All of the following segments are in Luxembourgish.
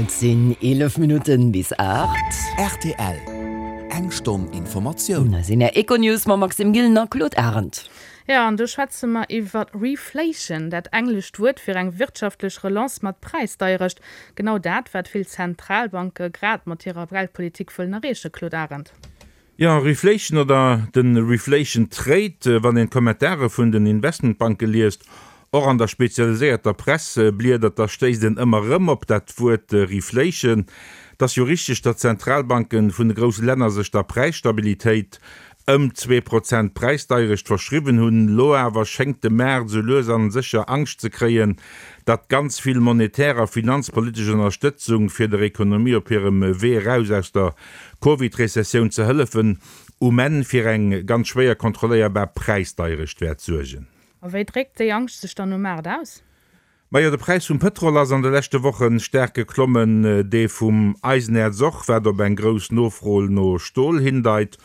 Et sinn 11 Minutten bis 8. Rtl, Eng Stonn Informatioun. Hei sinn Är Econews mam Maxime Gillen a Claude Arend. Jo, an do schwätze mer iwwer Reflation, dat englescht Wuert fir eng wirtschaftlech Relance mat Präisdeierecht. Genau dat, wat vill Zentralbanke grad mat hirer Geldpolitik wëllen erreechen, Claude Arend. Jo, Reflation oder de Reflation Trade, wann een d'Kommentare vun den Investmentbanke liest, och an der spezialiséierter Press bliedert, da stéisst een ëmmer erëm op dat Wuert Reflation. Et ass jo richteg, datt d'Zentralbanke vun de grousse Länner sech der Präisstabilitéit ëm 2% Präisdeierecht verschriwwen hunn. Elo awer schéngt de Maart esou lues an sécher Angscht ze kréien, datt ganz vill monetär a finanzpolitesch Ënnerstëtzung fir der Ekonomie op hirem Wee eraus aus der Covid-Rezessioun ze hëllefen, um Enn fir eng ganz schwéier kontrolléierbar Präisdeierecht wäert suergen. A wéi dréckt déi Angscht sech dann um Maart aus? Majo, de Präis vum Pëtrol ass an de leschte Woche staark geklommen, dee vum Eisenäerz och, wat op eng grouss Nofro no Stol hindeit.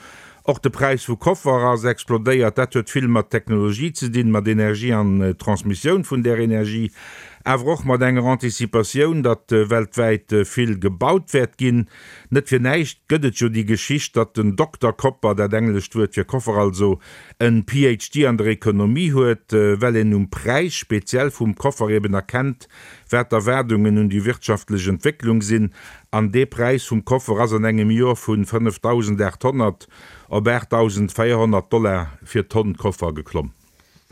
Och de Präis vu Koffer ass explodéiert. Dat huet vill mat Technologie ze dinn, mat Energie an Transmissioun vun där Energie, awer och mat enger Anticipatioun, datt weltwäit vill gebaut wäert ginn. Net fir näischt gëtt et jo déi Geschicht, datt den Dokter Kopper, dat englescht Wuert fir Koffer also, en PhD an der Ekonomie huet, well een um Präis, speziell vum Koffer eben erkennt, wat d'Erwaardungen un déi wirtschaftlech Entwécklung sinn. An dee Präis vum Koffer ass an engem Joer vu 5.800 op 8.400 Dollar fir d'Tonn Koffer geklomm.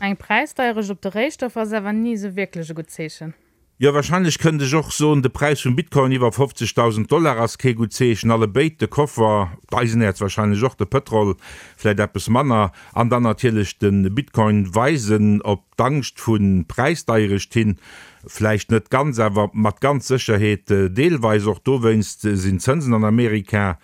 Eng Präisdeierecht op de Réistoffer ass awer ni esou wierklech e gutt Zeechen. Jo, wahrscheinlech kënnt ech och soen, de Präis vum Bitcoin iwwer 50.000 Dollar ass kee gutt Zeechen. Allebéid, de Koffer, d'Eisenäerz wahrscheinlech och, de Pëtrol vläit eppes manner, an dann natierlech de Bitcoin weisen op d'Angscht vu Präisdeierecht hin. Vläicht net ganz, awer mat ganz Sécherheet deelweis. Och dowéinst sinn d'Zënsen an Amerika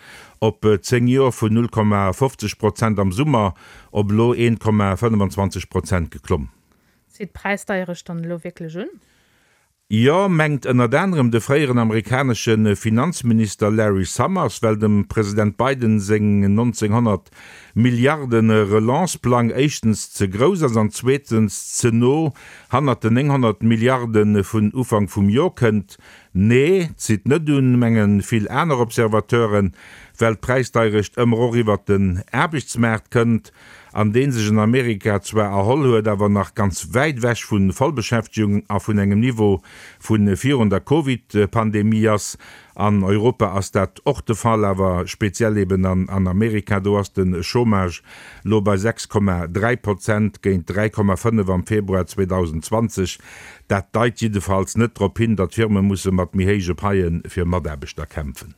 op 10 Joer vun 0,50 Prozent am Summer op elo 1,25 Prozent geklomm. Zitt d'Präisdeierecht dann elo wierklech un? Jo, mengt ënnert anerem de fréieren amerikanesche Finanzminister Larry Summers, well dem President Biden seng 1900 Milliarden Relance-Plang éischtens ze grouss ass an zweetens ze no hannert den 900 Milliarde vun Ufank vum Jor kënnt. Nee, zitt net un, menge vill aner Observateuren, well d'Präisdeierecht ëmmer och iwwert den Aarbechtsmaart kënnt. an dee sech an Amerika zwar erholl huet, awer nach ganz wäit ewech vu Vollbeschäftegung a vun engem Niveau vu virun der Covid-Pandemie ass. An Europa ass dat och de Fall, awer speziell eben an Amerika. Do ass de Chômage lo bei 6,3 Prozent géint 3,5 am Februar 2020. Dat deit jiddefalls net drop hin, datt Firme musse mat méi héije Paie fir Mataarbechter kämpfen.